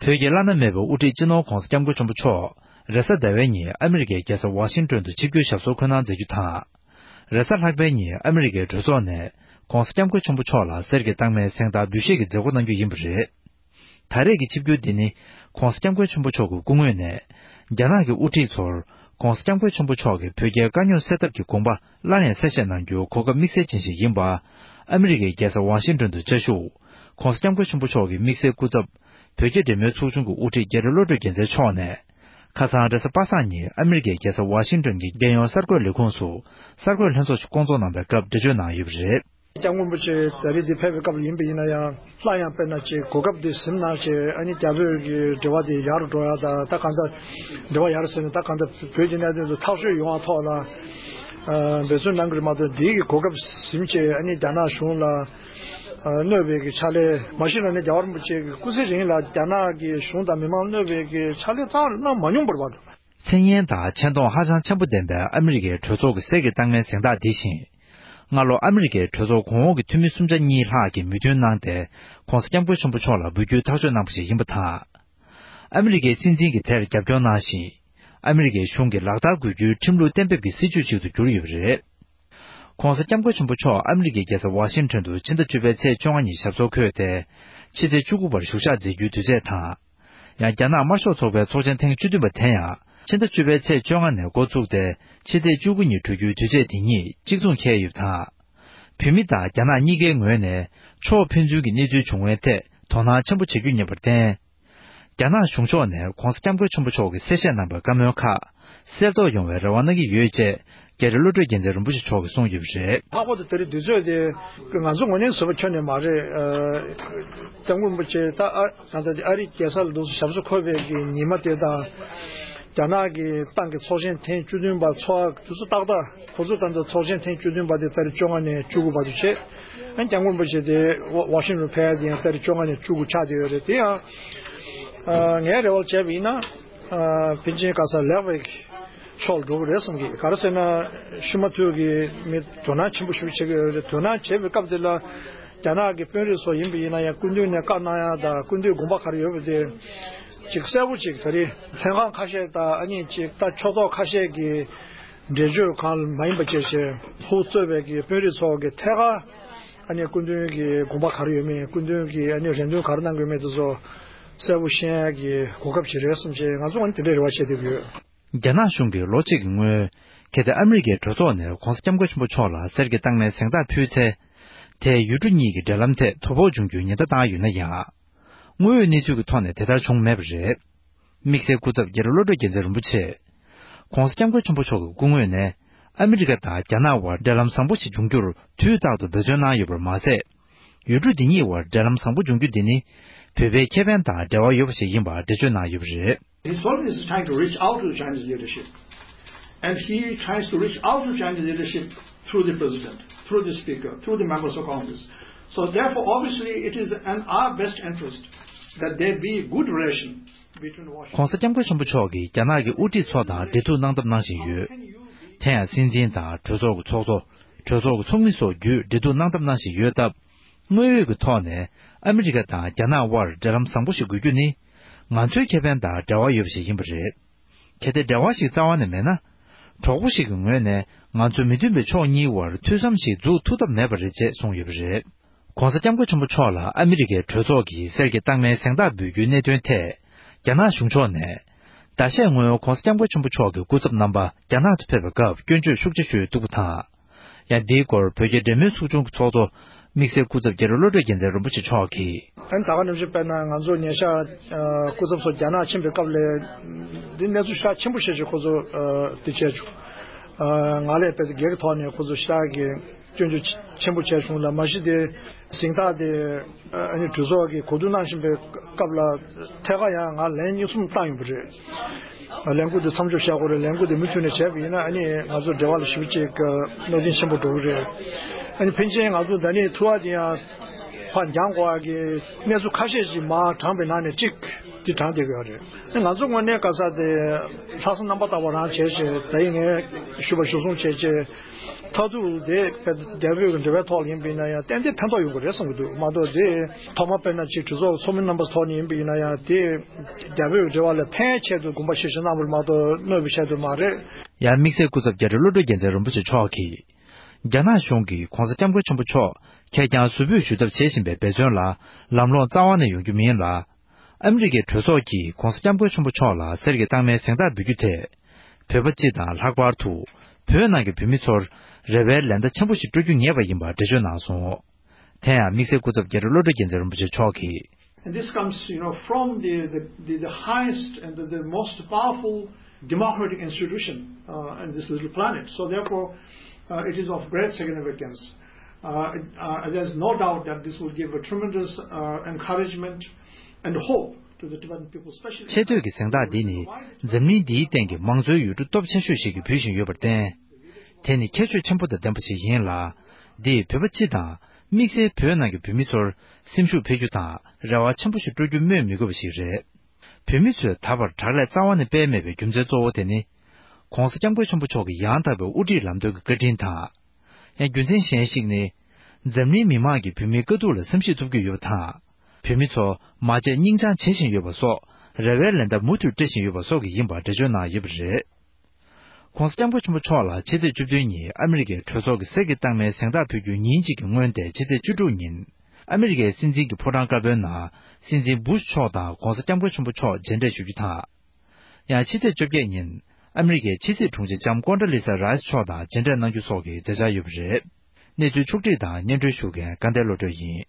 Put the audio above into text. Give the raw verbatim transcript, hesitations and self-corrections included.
བོད་ཀྱི་བླ་ན་མེད་པའི་དབུ་ཁྲིད་སྤྱི་ནོར་༧གོང་ས་༧སྐྱབས་མགོན་ཆེན་པོ་མཆོག་རེས་གཟའ་ཟླ་བའི་ཉིན་ཨ་མི་རི་ཀའི་རྒྱལ་ས་ཝ་ཤིང་ཏོན་དུ་ཆིབས་བསྒྱུར་ཞབས་སོར་འཁོད་གནང་མཛད་རྒྱུ་དང་། རེས་གཟའ་ལྷག་པའི་ཉིན་ཨ་མི་རི་ཀའི་གྲོས་ཚོགས་ནས་༧གོང་ས་༧སྐྱབས་མགོན་ཆེན་པོ་མཆོག་ལ་གསེར་གྱི་རྟགས་མའི་གཟེངས་རྟགས་འབུལ་བཞེས་ཀྱི་མཛད་སྒོ་གནང་རྒྱུ་ཡིན་པ་རེད། ད་རེས་ཀྱི་ཆིབས་བསྒྱུར་འདི་ནི་༧གོང་ས་༧སྐྱབས་མགོན་ཆེན་པོ་མཆོག་གི་སྐུ་ངོས་ནས་རྒྱ་ནག་གི་དབུ་ཁྲིད་ཚོར་༧གོང་ས་༧སྐྱབས་མགོན་ཆེན་པོ་མཆོག་གིས་བོད་རྒྱའི་དཀའ་རྙོག་སེལ་ཐབས་ཀྱི་དགོངས་པ་སླར་ཡང་གསལ་བཤད་གནང་རྒྱུའི་གོ་སྐབས་དམིགས་བསལ་ཅན་ཞིག་ཡིན་པ། ཨ་མི་རི་ཀའི་རྒྱལ་ས་ཝ་ཤིང་ཏོན་དུ་བཅའ་བཞུགས་༧གོང་ས་༧སྐྱབས་མགོན་ཆེན་པོ་མཆོག་གི་དམིགས་བསལ་སྐུ་ཚབ། བོད་རྒྱ་འབྲེལ་མོལ་ཚོགས་ཆུང་གི་དབུ་ཁྲིད་རྒྱ་རི་བློ་གྲོས་རྒྱལ་མཚན་མཆོག་ནས། ཁ་སང་རེས་གཟའ་པ་སངས་ཉིན་ཨ་མི་རི་ཀའི་རྒྱལ་ས་ཝ་ཤིང་ཏོན་གྱི་རྒྱལ་ཡོངས་གསར་འགོད་ལས་ཁུངས་སུ་གསར་འགོད་ལྷན་ཚོགས་ཤིག་བསྐོང་ཚོགས་གནང་པའི་སྐབས་འགྲེལ་བརྗོད་གནང་ཡོད་པ་རེད། སྐྱབས་མགོན་རིན་པོ་ཆེ་ད་རེས་འདི་ཕེབས་པའི་སྐབས་ལ་ཡིན་པ་ཡིན་ན་ཡང་སླར་ཡང་དཔེར་ན་ཅིག་གོ་སྐབས་འདི་ཟིན་གནང་བྱས་ཨ་ནི་རྒྱ་བོད་ཀྱི་འབྲེལ་བ་དེ་ཡག་རུ་འགྲོ་ཡག་དང་ད་གང་ལྟར་འབྲེལ་བ་ཡག་རུ་ཟེར་ནས་ད་གང་ལྟར་བོད་ཀྱི་གནད་དོན་དུ་ཐག་གཅོད་ཡོང་བ་ཐོག་ལ་འབད་བརྩོན་གནང་གི་རེད་མ་གཏོགས་འདི་གི་གོ་སྐབས་ཟིན་བྱས་ཨ་ནི་རྒྱ་ནག་གཞུང་ལ་གནོད་པའི་གི་ཕྱག་ལས་མ་གཞི་རང་ནས་རྒྱལ་བ་རིན་པོ་ཆེ་གི་སྐུ་ཚེ་རིང་ལ་རྒྱ་ནག་གི་གཞུང་དང་མི་མང་གནོད་པའི་གི་ཕྱག་ལས་རྩ་བ་ནས་གནང་མ་མྱོང་བ་རེད་པ། མཚན་སྙན་དང་ཆེ་མཐོང་ཧ་ཅང་ཆེན་པོ་ལྡན་པའི་ཨ་མི་རི་ཀའི་གྲོས་ཚོགས་ཀྱི་གསེར་གྱི་རྟགས་མའི་གཟེངས་རྟགས་འདི་བཞིན། སྔ་ལོ་ཨ་མི་རི་ཀའི་གྲོས་ཚོགས་གོང་འོག་གི་འཐུས་མི་སུམ་ཆ་གཉིས་ལྷག་གིས་མོས་མཐུན་གནང་སྟེ་༧གོང་ས་༧སྐྱབས་མགོན་ཆེན་པོ་མཆོག་ལ་འབུལ་རྒྱུའི་ཐག་གཅོད་གནང་པ་ཞིག་ཡིན་པ་དང་། ཨ་མི་རི་ཀའི་སྲིད་འཛིན་གྱིས་དེར་རྒྱབ་སྐྱོར་གནང་ཞིང་། ཨ་མི་རི་ཀའི་གཞུང་གིས་ལག་བསྟར་དགོས་རྒྱུའི་ཁྲིམས་ལུགས་གཏན་འབེབས་ཀྱི་སྲིད་ཇུས་ཤིག་ཏུ་གྱུར་ཡོད་པ་རེད། ༸གོང་ས་༸སྐྱབས་མགོན་ཆེན་པོ་མཆོག་ཨ་མི་རི་ཀའི་རྒྱལ་ས་ཝ་ཤིང་ཊོན་དུ་ཕྱི་ཟླ་བཅུ་པའི་ཚེས་བཅོ་ལྔ་ཉིན་ཞབས་སོར་འཁོད་དེ། ཕྱི་ཚེས་བཅུ་དགུ་བར་བཞུགས་ཞག་མཛད་རྒྱུའི་དུས་ཚོད་དང་། ཡང་རྒྱ་ནག་དམར་ཤོག་ཚོགས་པའི་ཚོགས་ཆེན་ཐེངས་བཅུ་བདུན་པ་དེ་ཡང་ཕྱི་ཟླ་བཅུ་པའི་ཚེས་བཅོ་ལྔ་ནས་འགོ་བཙུགས་ཏེ་ཕྱི་ཚེས་བཅུ་དགུ་ཉིན་གྲོལ་རྒྱུའི་དུས་ཚོད་དེ་གཉིས་གཅིག་མཚུངས་འཁེལ་ཡོད་པ་དང་། བོད་མི་དང་རྒྱ་ནག་གཉིས་ཀའི་ངོས་ནས་ཕྱོགས་ཕན་ཚུན་གྱི་གནས་ཚུལ་བྱུང་བའི་ཐད་དོ་སྣང་ཆེན་པོ་བྱེད་རྒྱུ་ཡིན་པར་བརྟེན། རྒྱ་ནག་གཞུང་ཕྱོགས་ནས་༸གོང་ས་༸སྐྱབས་མགོན་ཆེན་པོ་མཆོག་གིས་གསལ་བཤད་གནང་བའི་བཀའ་མོལ་ཁག་གསལ་རྟོགས་ཡོང་བའི་རེ་བ་གནང་གི་ཡོད་ཅེས་རྒྱ་རི་བློ་གྲོས་རྒྱལ་མཚན་རིན་པོ་ཆེ་མཆོག་གིས་གསུངས་ཡོད་པ་རེད། ལྷག་པར་དུ་དེ་རིང་དུས་ཚོད་དེ་ང་ཚོ་ངོས་ནས་བཟོས་པ་ཁྱོན་ནས་མ་རེད། ཨ།༸སྐྱབས་མགོན་རིན་པོ་ཆེ་ད་ཨ་ད་ལྟ་ཨ་རིའི་རྒྱལ་ས་ལ་འདུག་ཞབས་སོར་འཁོད་པའི་གི་ཉི་མ་དེ་དང་། རྒྱ་ནག་གི་ཏང་གི་ཚོགས་ཆེན་ཐེངས་བཅུ་བདུན་པ་ཚོགས་དུས་ཚོད་ཏག་ཏག་ཁོ་ཚོ་ད་ལྟ་ཚོགས་ཆེན་ཐེངས་བཅུ་བདུན་པ་དེ་ཏ་རིག་བཅོ་ལྔ་ནས་བཅུ་དགུ་བར་དུ་བྱས། ཨ་༸སྐྱབས་མགོན་རིན་པོ་ཆེ་དེ་ཝ་ཝ་ཤིང་ཊོན་ཕེབས་ཡ་དེ་ཡང་ཏ་རིག་བཅོ་ལྔ་ནས་བཅུ་དགུ་ཆགས་བསྡད་ཡོད་རེད། དེ་ཡང་ཨ་ངའི་རེ་བ་བྱས་པ་ཡིན་ན་ཨ་ཕིན་ཆེན་ག་ས་ལེགས་པའི་ཕྱོགས་ལ་འགྲོ་གི་རེད་བསམ་གི། ག་རེ་ཟེར་ན་ཤི་མ་ཐུག་གི་མི་དོ་སྣང་ཆེན་པོ་ཞིག་བྱེད་ཀྱི་ཡོད་རེད། དོ་སྣང་བྱེད་པའི་སྐབས་དེ་ལ་རྒྱ་ནག་གི་དཔོན་རིགས་ཚོ་ཡིན་པ་ཡིན་ན་ཡང་སྐུ་མདུན་ནས་བཀའ་གནང་ཡ་དང་སྐུ་མདུན་དགོངས་པ་ག་རེ་ཡོད་པ་དེ་ཅིག་གསལ་པོ་ཅིག་ད་རེས་ལྷན་ཁང་ཁ་ཤས་དང་ཨ་ནི་ཅིག་ད་ཕྱོགས་གཏོགས་ཁ་ཤས་ཀྱི་འགྲེལ་བརྗོད་གང་མ་ཡིན་པ་བྱས་བྱས་ཧུ་གཙོས་པའི་གི་དཔོན་རིགས་ཚོ་གི་ཐད་ཀར་ཨ་ནི་སྐུ་མདུན་གྱི་དགོངས་པ་ག་རེ་ཡོད་མེད་སྐུ་མདུན་གྱི་ཨ་ནི་རེ་འདུན་ག་རེ་གནང་གི་ཡོད་མེད་དེ་ཚོ་གསལ་པོ་ཤེས་ཡ་གི་གོ་སྐབས་ཅིག་རེད་བསམ་བྱས་ང་ཚོ་ཨ་ནི་དེ་འདྲའི་རེ་བ་བྱེད་བསྡད་ཀྱི་ཡོད། རྒྱ་ནག་གཞུང་གིས་ལོ་གཅིག་གི་སྔོན། གལ་ཏེ་ཨ་མི་རི་ཀའི་གྲོས་ཚོགས་ནས་༸གོང་ས་༸སྐྱབས་མགོན་ཆེན་པོ་མཆོག་ལ་གསེར་གྱི་རྟགས་མའི་གཟེངས་རྟགས་ཕུལ་ཚེ། དེས་ཡུལ་གྲུ་གཉིས་ཀྱི་འབྲེལ་ལམ་ཐད་དོ་ཕོག་འབྱུང་རྒྱུའི་ཉེན་བརྡ་བཏང་ཡོད་ན་ཡང་། དངོས་ཡོད་གནས་ཚུལ་གྱི་ཐོག་ནས་དེ་ལྟར་བྱུང་མེད་པ་རེད། དམིགས་བསལ་སྐུ་ཚབ་རྒྱ་རི་བློ་གྲོས་རྒྱལ་མཚན་རིན་པོ་ཆེས། ༸གོང་ས་༸སྐྱབས་མགོན་ཆེན་པོ་མཆོག་གི་སྐུ་ངོས་ནས་ཨ་མི་རི་ཀ་དང་རྒྱ་ནག་དབར་འབྲེལ་ལམ་བཟང་པོ་ཞིག་འབྱུང་རྒྱུར་དུས་རྟག་ཏུ་འབད་བརྩོན་གནང་ཡོད་པར་མ་ཟད། ཡུལ་གྲུ་འདི་གཉིས་དབར་འབྲེལ་ལམ་བཟང་པོ་འབྱུང་རྒྱུ་འདི་ནི་བོད་པའི་ཁེ་ཕན་དང་འབྲེལ་བ་ཡོད་པ་ཞིག་ཡིན་པ་འགྲེལ་བརྗོད་གནང་ཡོད་པ་རེད། His government is trying to reach out to the Chinese leadership, and he tries to reach out to Chinese leadership through the president, through the speaker, through the members of Congress. So therefore, obviously, it is in our best interest that there be good relation between Washington. ༸གོང་ས་༸སྐྱབས་མགོན་ཆེན་པོ་མཆོག་གིས་རྒྱ་ནག་གི་དབུ་ཁྲིད་ཚོ་དང་འབྲེལ་གཏུག་གནང་ཐབས་གནང་བཞིན་ཡོད། དེ་ཡང་སྲིད་འཛིན་དང་གྲོས་ཚོགས་ཀྱི་ཚོགས་གཙོ། གྲོས་ཚོགས་ཀྱི་ཚོགས་མི་སོགས་བརྒྱུད་འབྲེལ་གཏུག་གནང་ཐབས་གནང་བཞིན་ཡོད་སྟབས། དངོས་ཡོད་ཀྱི་ཐོག་ནས་ཨ་མི་རི་ཀ་དང་རྒྱ་ནག་དབར་འབྲེལ་ལམ་བཟང་པོ་ཞིག་དགོས་རྒྱུ་ནི། ང་ཚོའི་ཁེ་ཕན་དང་འབྲེལ་བ་ཡོད་པ་ཞིག་ཡིན་པ་རེད། གལ་ཏེ་འབྲེལ་བ་ཞིག་རྩ་བ་ནས་མེད་ན། གྲོགས་པོ་ཞིག་གི་ངོས་ནས་ང་ཚོ་མི་མཐུན་པའི་ཕྱོགས་གཉིས་དབར་ཐུགས་བསམ་ཞིག་འཛུགས་ཐུབ་ཐབས་མེད་པ་རེད་ཅེས་གསུངས་ཡོད་པ་རེད། ༸གོང་ས་༸སྐྱབས་མགོན་ཆེན་པོ་མཆོག་ལ་ཨ་མི་རི་ཀའི་གྲོས་ཚོགས་ཀྱིས་གསེར་གྱི་རྟགས་མའི་གཟེངས་རྟགས་འབུལ་རྒྱུའི་གནད་དོན་ཐད། རྒྱ་ནག་གཞུང་ཕྱོགས་ནས། ཟླ་ཤས་སྔོན་༸གོང་ས་༸སྐྱབས་མགོན་ཆེན་པོ་མཆོག་གི་སྐུ་ཚབ་རྣམ་པ་རྒྱ་ནག་ཏུ་ཕེབས་པའི་སྐབས་སྐྱོན་བརྗོད་ཤུགས་ཆེ་ཞུས་འདུག་པ་དང་། ཡང་འདིའི་སྐོར་བོད་རྒྱ་འབྲེལ་མོལ་ཚོགས་ཆུང་གི་ཚོགས་གཙོ་དམིགས་བསལ་སྐུ་ཚབ་རྒྱ་རི་བློ་གྲོས་རྒྱལ་མཚན་རིན་པོ་ཆེ་མཆོག་གིས། ཨ་ནི་ད་ག་ནང་བཞིན་དཔེར་ན་ང་ཚོ་ཉེ་ཆར་ཨ་སྐུ་ཚབ་ཚོ་རྒྱ་ནག་ཕྱིན་པའི་སྐབས་ལ་འདི་གནས་ཚུལ་ཤུགས་ཆེན་པོ་བཤད་ཅིག་ཁོ་ཚོ་ཨ་འདི་བྱས་བྱུང་། ཨ་ང་ལས་དཔེ་སྒེར་གྱི་ཐོག་ནས་ཁོ་ཚོ་ཤུགས་ཀྱི་སྐྱོན་བརྗོད་ཆེན་པོ་བྱས་བྱུང་ལ་མ་གཞི་དེ་གཟེངས་རྟགས་དེ། ཨ་ནི་གྲོས་ཚོགས་ཀྱི་གོ་བསྡུར་གནང་བཞིན་པའི་སྐབས་ལ་ཐད་ཀར་ཡང་ང་ལན་གཉིས་གསུམ་བཏང་ཡོད་པ་རེད། ཨ་ལས་འགུལ་འདི་མཚམས་འཇོག་བྱ་དགོས་རེད། ལས་འགུལ་འདི་མུ་མཐུད་ནས་བྱས་པ་ཡིན་ན་ཨ་ནི་ང་ཚོ་འབྲེལ་བ་ལ་ཞེ་པོ་ཅིག་གནོད་སྐྱོན་ཆེན་པོ་འགྲོ་གི་རེད། ཨ་ནི་ཕན་ཆད་ང་ཚོ་འདི་ནས་ཐུག་པ་དེ་ཡང་ཕར་འགྱངས་དགོས་པ་གི་གནས་ཚུལ་ཁ་ཤས་ཤིག་མར་དྲངས་པའི་ནང་ནས་གཅིག་འདི་དྲངས་བསྡད་ཀྱི་ཡོད་རེད། ཨ་ནི་ང་ཚོ་དངོས་གནས་ག་ས་དེ་ལྷག་བསམ་རྣམ་པར་དག་པ་རང་བྱས་བྱས་ད་ཡིན་ངས་ཞུ་བ་ཞུ་གསུང་བྱས་བྱས། མཐར་ཐུག་དེ་རྒྱ་བོད་ཀྱི་འབྲེལ་བའི་ཐོག་ལ་ཡིན་པ་ཡིན་ན་ཡང་ཏན་ཏན་ཕན་ཐོགས་ཡོང་གི་རེད་བསམ་གྱི་འདུག་མ་གཏོགས་དེ་ཐོག་མ་དཔེར་ན་ཅིག་གྲོས་ཚོགས་ཚོགས་མི་རྣམ་པ་ཐོག་ནས་ཡིན་པ་ཡིན་ན་ཡང་དེ་རྒྱ་བོད་ཀྱི་འབྲེལ་བ་ལ་ཕན་ཆེད་དུ་དགོངས་པ་བཞེས་བཞེས་གནང་བ་རེད་མ་གཏོགས་གནོད་པའི་ཆེད་དུ་མ་རེད། ཡང་དམིགས་བསལ་སྐུ་ཚབ་རྒྱ་རི་བློ་གྲོས་རྒྱལ་མཚན་རིན་པོ་ཆེ་མཆོག་གིས། རྒྱ་ནག་གཞུང་གིས་༧གོང་ས་༧སྐྱབས་མགོན་ཆེན་པོ་མཆོག་ཁེར་རྐྱང་ཟུར་ཕུད་ཞུ་ཐབས་བྱེད་བཞིན་པའི་འབད་བརྩོན་ལ་ལམ་ལྷོང་རྩ་བ་ནས་ཡོང་རྒྱུ་མིན་ལ། ཨ་མི་རི་ཀའི་གྲོས་ཚོགས་ཀྱིས་༧གོང་ས་༧སྐྱབས་མགོན་ཆེན་པོ་མཆོག་ལ་གསེར་གྱི་རྟགས་མའི་གཟེངས་རྟགས་འབུལ་རྒྱུ་དེས། བོད་པ་སྤྱི་དང་ལྷག་པར་དུ་བོད་ནང་གི་བོད་མི་ཚོར་རེ་བའི་ལན་བརྡ་ཆེན་པོ་ཞིག་སྤྲོད་རྒྱུ་ངེས་པ་ཡིན་པ་འགྲེལ་བརྗོད་གནང་སོང་། དེ་ཡང་དམིགས་བསལ་སྐུ་ཚབ་རྒྱ་རི་བློ་གྲོས་རྒྱལ་མཚན་རིན་པོ་ཆེ་མཆོག་གིས། And this comes, you know, from the, the, the, the highest and the, the most powerful democratic institution uh, in this little planet. So therefore, uh, it is of great significance. Uh, it- uh, there's no doubt that this will give a tremendous uh, encouragement and hope to the Tibetan people, especially. ཆེས་མཐོའི་གི་གཟེངས་རྟགས་འདི་ནི་འཛམ་གླིང་འདིའི་སྟེང་གི་མང་གཙོའི་ཡུལ་གྲུ་སྟོབས་ཆེ་ཤོས་ཤིག་གིས་འབུལ་བཞིན་ཡོད་པར་བརྟེན། དེ་ནི་ཁྱད་ཆོས་ཆེན་པོ་དང་ལྡན་པ་ཞིག་ཡིན་ལ། འདིས་བོད་པ་སྤྱི་དང་དམིགས་བསལ་བོད་ནང་གི་བོད་མི་ཚོར་སེམས་ཤུགས་འཕེལ་རྒྱུ་དང་རེ་བ་ཆེན་པོ་ཞིག་སྤྲོད་རྒྱུ་སྨོས་མི་དགོས་པ་ཞིག་རེད། བོད་མི་ཚོས་ད་བར་དྲག་ལས་རྩ་བ་ནས་སྤེལ་མེད་པའི་རྒྱུ་མཚན་གཙོ་བོ་དེ་ནི། ྋགོང་ས་ྋསྐྱབས་མགོན་ཆེན་པོ་མཆོག་གི་ཡང་དག་པའི་དབུ་ཁྲིད་ལམ་སྟོན་གྱི་བཀའ་དྲིན་དང་། ཡང་རྒྱུ་མཚན་གཞན་ཞིག་ནི། འཛམ་གླིང་མི་མང་གིས་བོད་མིའི་དཀའ་སྡུག་ལ་བསམ་ཤེས་ཐུབ་ཀྱི་ཡོད་པ་དང་། བོད་མི་ཚོ་མ་བརྗེད་སྙིང་བཅངས་བྱེད་བཞིན་ཡོད་པ་སོགས་རེ་བའི་ལན་བརྡ་མུ་མཐུད་སྤྲད་བཞིན་ཡོད་པ་སོགས་ཀྱིས་ཡིན་པ་འགྲེལ་བརྗོད་གནང་ཡོད་པ་རེད། ྋགོང་ས་ྋསྐྱབས་མགོན་ཆེན་པོ་མཆོག་ལ་ཕྱི་ཚེས་བཅུ་བདུན་ཉིན་ཨ་མི་རི་ཀའི་གྲོས་ཚོགས་ཀྱི་གསེར་གྱི་རྟགས་མའི་གཟེངས་རྟགས་ཕུལ་རྒྱུའི་ཉིན་གཅིག་གི་སྔོན་ཏེ་ཕྱི་ཚེས་བཅུ་དྲུག་ཉིན་ཨ་མི་རི་ཀའི་སྲིད་འཛིན་གྱི་ཕོ་བྲང་དཀར་པོའི་ནང་སྲིད་འཛིན་བུ་ཤ་མཆོག་དང་ྋགོང་ས་ྋསྐྱབས་མགོན་ཆེན་པོ་མཆོག་མཇལ་འཕྲད་ཞུ་རྒྱུ་དང་། ཡང་ཕྱི་ཚེས་བཅོ་བརྒྱད་ཉིན་ཨ་མི་རི་ཀའི་ཕྱི་སྲིད་དྲུང་ཆེ་ལྕམ་ཀོན་ཌ་ལི་ས་རཱས་མཆོག་དང་མཇལ་འཕྲད་གནང་རྒྱུ་སོགས་ཀྱི་མཛད་འཆར་ཡོད་པ་རེད། གནས་ཚུལ་ཕྱོགས་བསྒྲིགས་དང་སྙན་སྒྲོན་ཞུ་མཁན་དགའ་ལྡན་བློ་གྲོས་ཡིན།